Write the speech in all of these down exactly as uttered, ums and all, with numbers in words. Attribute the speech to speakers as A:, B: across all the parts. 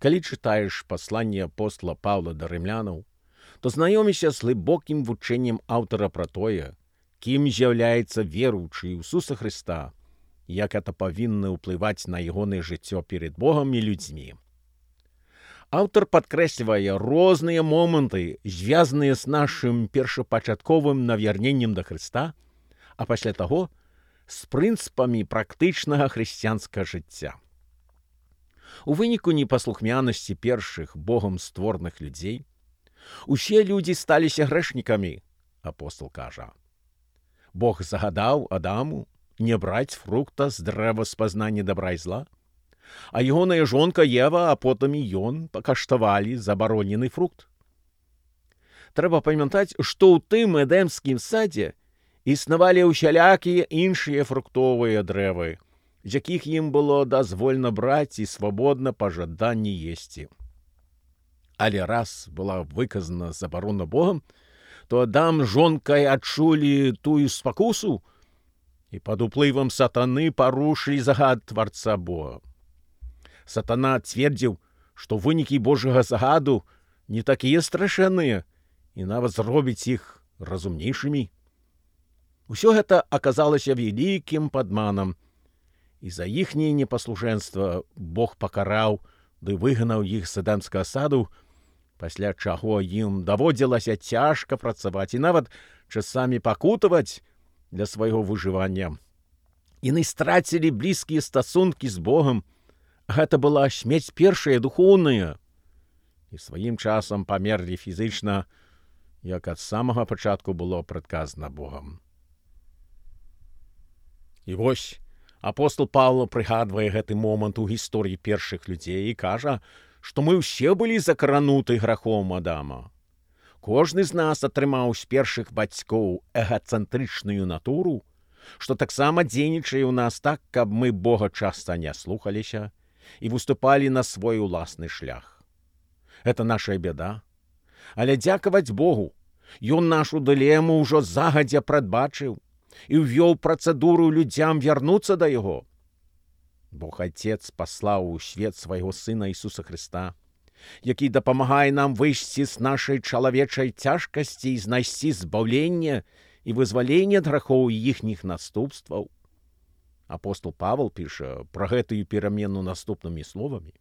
A: Калі чытаеш пасланне апостола Паўла да рымлянаў, то знаёмішся з глыбокім вучэннем аўтара пра тое, кім з'яўляецца веруючы ў Ісуса Хрыста, як это павінна ўплываць на ягонае жыццё перед Богам і людзьмі. Аўтар падкрэслівае розныя моманты, звязаныя з нашым першапачатковым навярненнем да Хрыста, а пасля таго з прынцыпамі практычнага хрысціянскага жыцця. У выніку непаслухмянасці першых Богам створных людзей усе людзі сталіся грэшнікамі, апостол кажа. Бог загадаў Адаму не браць фрукта з дрэва спазнання добра і зла, а ягоная жонка Ева, а потым і ён пакаштавалі забаронены фрукт. Трэба памятаць, што ў тым эдэмскім садзе існавалі ўсялякія іншыя фруктовыя дрэвы, з якіх ім было дазвольна браць і свабодна па жаданні есці. Але раз была выказана забарона Богам, то Адам з жонкай адчулі тую спакусу і пад уплывам сатаны парушылі загад Тварца Бога. Сатана цвердзіў, што вынікі Божага загаду не такія страшэнныя і нават зробіць іх разумнейшымі. Усё гэта аказалася вялікім падманам, і за іхняе непаслушэнства Бог пакараў ды выгнаў іх з эдэмскага саду, пасля чаго ім даводзілася цяжка працаваць і нават часамі пакутаваць для свайго выжывання. Яны страцілі блізкія стасункі з Богам. Гэта была смерць першая духоўная. І сваім часам памерлі фізычна, як ад самага пачатку было прадказана Богам. І вось апостол Паўла прыгадвае гэты момант у гісторыі першых людзей і кажа, што мы ўсе былі закрануты грахом Адама. Кожны з нас атрымаў з першых бацькоў эгацэнтрычную натуру, што таксама дзейнічае ў нас так, каб мы Бога часта не слухаліся і выступалі на свой уласны шлях. Это наша бяда. Але дзякаваць Богу, Ён нашу дылему ўжо загадзя прадбачыў і ўвёў працэдуру людзям вярнуцца да Яго. Бог Отец паслаў у свет свайго Сына Ісуса Хрыста, які дапамагае нам выйсці з нашай чалавечай цяжкасці і знайсці збаўленне і вызваленне ад грахоў і іхніх наступстваў. Апостол Павел піша пра гэтую перамену наступнымі словамі.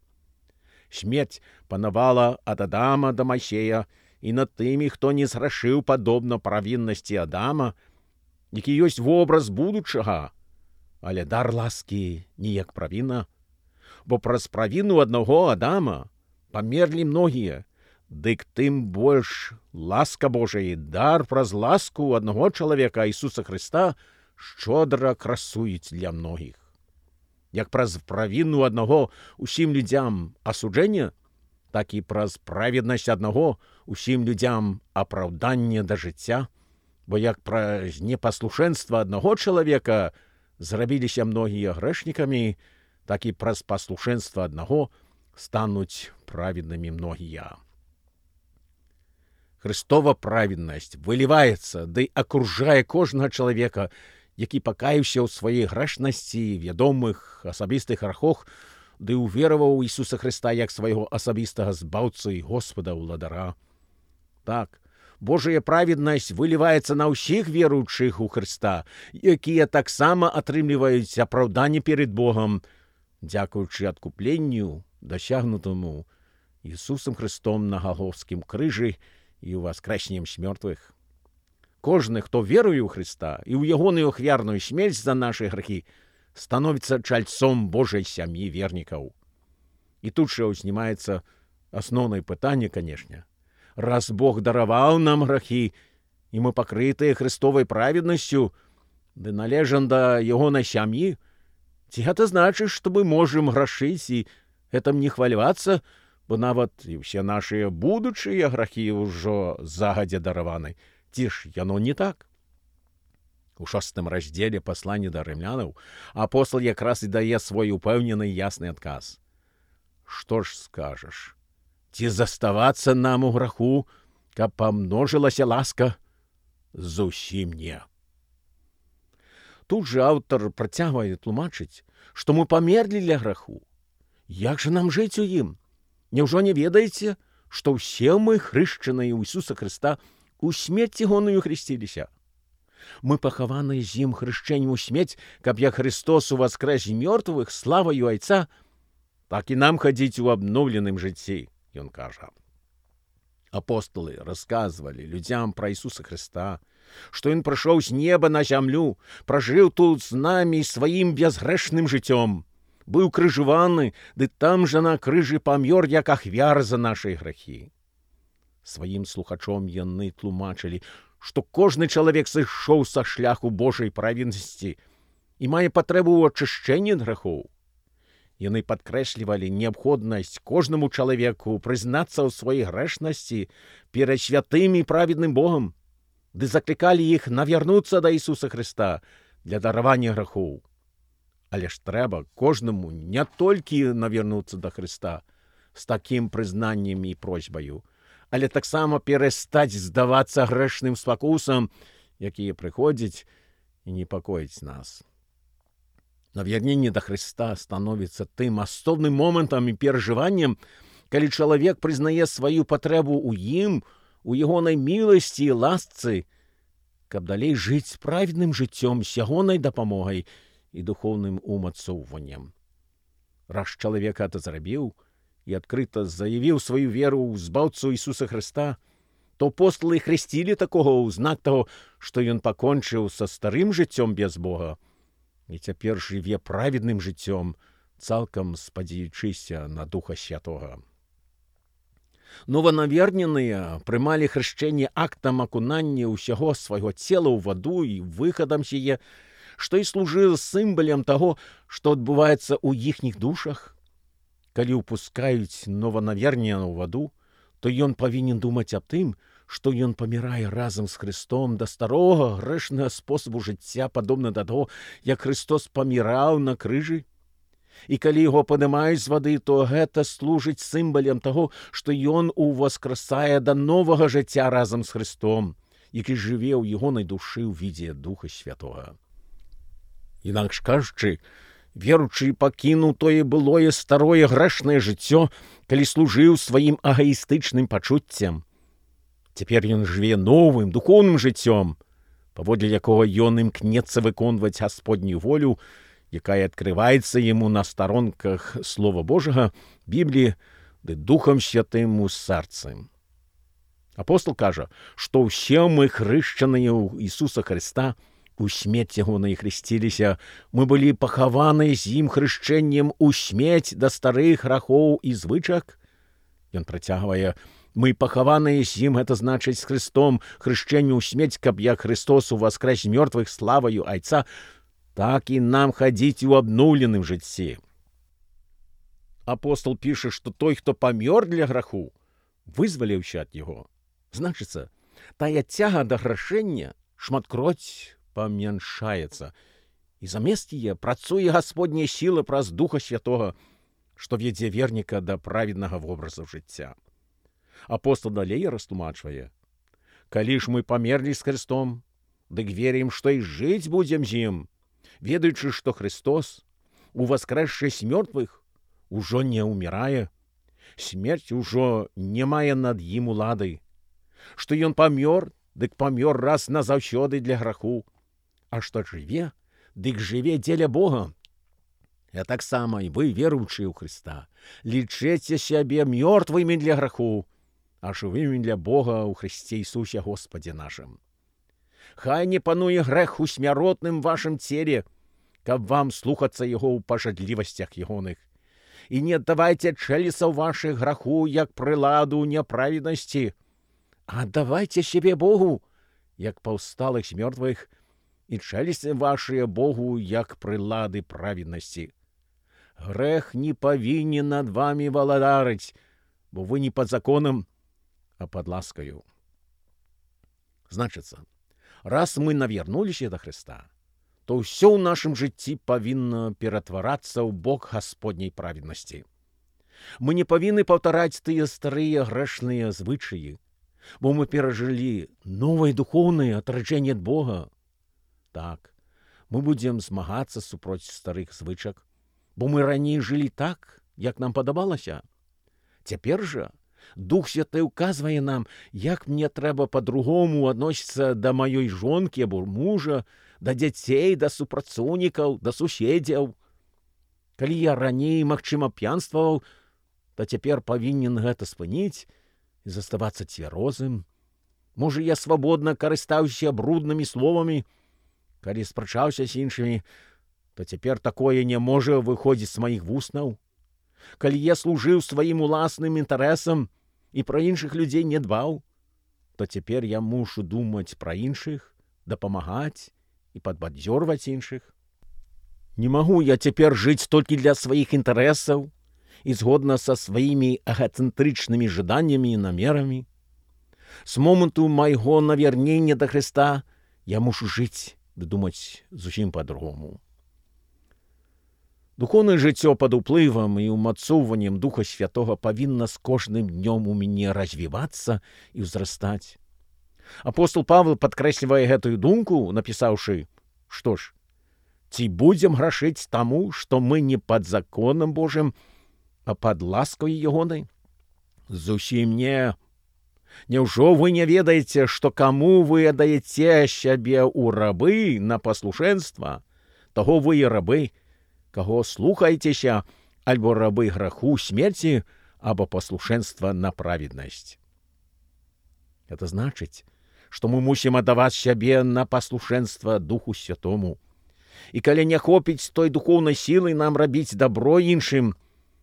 A: Смерць панавала ад Адама да Майсея і над тымі, хто не зграшыў падобна правіннасці Адама, які ёсць вобраз будучага, але дар ласкі не як правіна, бо праз правіну аднаго Адама памерлі многія, дык тым больш ласка Божая, дар праз ласку аднаго чалавека Ісуса Хрыста шчодра красуюць для многіх. Як праз правіну аднаго усім людзям асуджэнне, так і праз праведнасць аднаго усім людзям апраўданне да жыцця, бо як праз непаслушэнства аднаго чалавека зрабіліся многія грэшнікамі, так і праз паслушэнства аднаго стануць праведнымі многія. Хрыстова праведнасць выліваецца ды акружае кожнага чалавека, які пакаяўся ў сваёй грэшнасці, вядомых асабістых грахах, ды ўвераваў Ісуса Хрыста як свайго асабістага збаўцу і Господа ўладара. Так, Божая праведнасць выліваецца на ўсіх веруючых у Хрыста, якія таксама атрымліваюць апраўданне перед Богам, дзякуючы адкупленню, дасягнутаму Ісусам Хрыстом на Галгофскім крыжы і ў васкрэсеннем з мёртвых. Кожны, хто веруе ў Хрыста і ў ягоную ахвярную смерць за нашы грахі, становіцца чальцом Божай сям'і вернікаў. І тут жа ўзнімаецца асноўнае пытанне, канешне. Раз Бог дараваў нам грахі, і мы пакрытыя Хрыстовай праведнасцю, ды належам да ягонай сям'і, ці гэта значыць, што мы можам грашыць і гэтым не хвалявацца, бо нават і ўсе нашыя будучыя грахі ўжо загадзя дараваны. Ці ж яно не так? У шостым раздзеле паслання да рымлянаў апостол якраз і дае свой упэўнены ясны адказ. Што ж скажаш? Ці заставацца нам у граху, каб памножылася ласка? Зусім не. Тут жа аўтар працягвае тлумачыць, што мы памерлі для граху. Як жа нам жыць у ім? Няўжо не ведаеце, што ўсе мы, хрышчаныя ў Ісуса Хрыста, у смерць ягоную хрысціліся? Мы пахаваныя з ім хрышчэннем у смерць, каб як Христос уваскрэс з мёртвых славаю Айца, так і нам хадзіць у абноўленым жыцці, ён кажа. Апостолы расказвалі людзям пра Ісуса Хрыста, што ён прыйшоў з неба на зямлю, пражыў тут з намі сваім бязгрэшным жыццём, быў крыжаваны, ды там жа на крыжы памёр, як ахвяра за нашыя грахі. Сваім слухачом яны тлумачылі, што кожны чалавек сышоў са шляху Божай праведнасці і мае патрэбу ў ачышчэнні ад грахоў. Яны падкрэслівалі неабходнасць кожнаму чалавеку прызнацца ў сваёй грэшнасці перад святым і праведным Богам, ды заклікалі іх навярнуцца да Ісуса Хрыста для даравання грахоў. Але ж трэба кожнаму не толькі навярнуцца да Хрыста з такім прызнаннем і просьбаю, але таксама перастаць здавацца грэшным спакусам, якія прыходзяць і непакояць нас. Навярненне да Хрыста становіцца тым асобным момантам і перажываннем, калі чалавек прызнае сваю патрэбу ў ім, у ягонай міласці і ласцы, каб далей жыць праведным жыццём з ягонай дапамогай і духоўным умацоўваннем. Раз чалавек гэта зрабіў і адкрыта заявіў сваю веру ў збаўцу Ісуса Хрыста, то апостолы хрысцілі такога ў знак таго, што ён пакончыў са старым жыццём без Бога і цяпер жыве праведным жыццём, цалкам спадзеючыся на Духа Святога. Нованаверненыя прымалі хрышчэнне актам акунання ўсяго свайго цела ў ваду і выхадам з яе, што і служыла сімвалам таго, што адбываецца ў іхніх душах. Калі ўпускаюць нованавернення ў ваду, то ён павінен думаць аб тым, што ён памірае разам з Христом да старога грэшнага спосабу жыцця, падобна да таго, як Христос паміраў на крыжы. І калі яго падымаюць з вады, то гэта служыць сімвалам таго, што ён уваскрасае да новага жыцця разам з Христом, які жыве ў ягонай душы ў відзе Духа Святога. Інакш кажучы, веруючы пакінуў тое былое старое грэшнае жыццё, калі служыў сваім агаістычным пачуццям. Цяпер ён жыве новым духоўным жыццём, паводле якога ён імкнецца выконваць Гасподнюю волю, якая адкрываецца яму на старонках Слова Божага, Бібліі, ды Духам Святым у сэрцы. Апостол кажа, што ўсе мы хрышчаныя ў Ісуса Хрыста, у смерць ягонай хрысціліся, мы былі пахаваныя з ім хрышчэннем у смерць да старых грахоў і звычак. Ён працягвае: мы пахаваныя з ім, гэта значыць з Христом, хрышчэнню ў смерць, каб як Христос уваскрэс з мёртвых славаю Айца, так і нам хадзіць у абноўленым жыцці. Апостол піша, што той, хто памёр для граху, вызваліўся ад яго. Значыцца, тая цяга да грашэння шматкроць памяншаецца, і замест яе працуе Гасподняя сіла праз Духа Святога, што вядзе верніка да праведнага вобразу жыцця. Апостол далей растлумачвае: калі ж мы памерлі з Христом, дык верім, што і жыць будзем з ім, ведаючы, што Христос, уваскрэсшы з мёртвых, ужо не ўмірае, смерць ужо не мае над ім улады, што ён памёр, дык памёр раз назаўсёды для граху, а што жыве, дык жыве дзеля Бога. А таксама і вы, веруючыя ў Хрыста, лічыце сябе мёртвымі для граху, а жывымі для Бога ў Хрысце Ісусе Господзе нашым. Хай не пануе грэх у смяротным вашым целе, каб вам слухацца яго ў пажадлівасцях ягоных. І не аддавайце чэлесаў вашых граху, як прыладу няправеднасці, а аддавайце сябе Богу, як паўсталых з мёртвых, і чэлесці вашыя Богу, як прылады праведнасці. Грэх не павінен над вамі валадарыць, бо вы не пад законам, а пад ласкаю. Значыцца, раз мы навярнуліся да Хрыста, то ўсё ў нашым жыцці павінна ператварацца ў бок Гасподняй праведнасці. Мы не павінны паўтараць тыя старыя грэшныя звычаі, бо мы перажылі новае духоўнае атраджэнне ад Бога. Так, мы будзем змагацца супроць старых звычак, бо мы раней жылі так, як нам падабалася. Цяпер жа Дух Святы ўказвае нам, як мне трэба па-другому адносіцца да маёй жонкі або мужа, да дзяцей, да супрацоўнікаў, да суседзяў. Калі я раней, магчыма, п'янстваваў, то цяпер павінен гэта спыніць і заставацца цвярозым. Можа, я свабодна карыстаўся бруднымі словамі. Калі спрачаўся з іншымі, то цяпер такое не можа выходзіць з маіх вуснаў. Калі я служыў сваім уласным інтарэсам і пра іншых людзей не дбаў, то цяпер я мушу думаць пра іншых, дапамагаць і падбадзёрваць іншых. Не магу я цяпер жыць толькі для сваіх інтарэсаў і згодна са сваімі эгацэнтрычнымі жаданнямі і намерамі. З моманту майго навярнення да Хрыста я мушу жыць ды думаць зусім па-другому. Духоўнае жыццё пад уплывам і ўмацоўваннем Духа Святога павінна з кожным днём у мяне развівацца і ўзрастаць. Апостол Павел падкрэслівае гэтую думку, напісаўшы, што ж, ці будзем грашыць таму, што мы не пад законам Божым, а пад ласкай ягонай? Зусім не. Няўжо вы не ведаеце, што каму вы аддаеце сябе ў рабы на паслушэнства, таго вы і рабы, каго слухаецеся, альбо рабы граху смерці, або паслушэнства на праведнасць. Это значыць, што мы мусім аддаваць сябе на паслушэнства Духу Святому. І калі не хопіць той духоўнай сілы нам рабіць дабро іншым,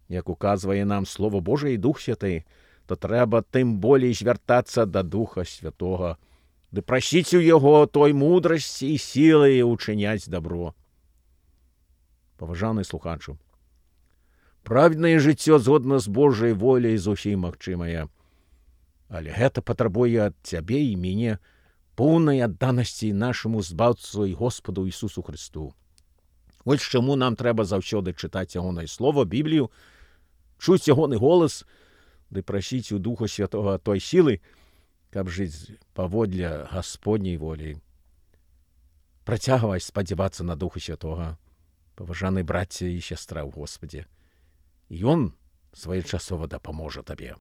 A: як указвае нам Слово Божае і Дух Святы, то трэба тым болей звяртацца да Духа Святога, ды прасіць у яго той мудрасці і сілы учыняць дабро. Паважаны слухачу, праведнае жыццё згодна з Божай воляй зусім магчымае, але гэта патрабуе ад цябе і мяне поўнай адданасці нашаму збаўцу і Господу Ісусу Христу. Вось чаму нам трэба заўсёды чытаць ягонае слово, Біблію, чуць ягоны голас, ды прасіць у Духа Святога той сілы, каб жыць паводле Гасподняй волі. Працягвай спадзявацца на Духа Святога, паважаны браце і сястра ў Господзе. Ён своечасова дапаможа табе.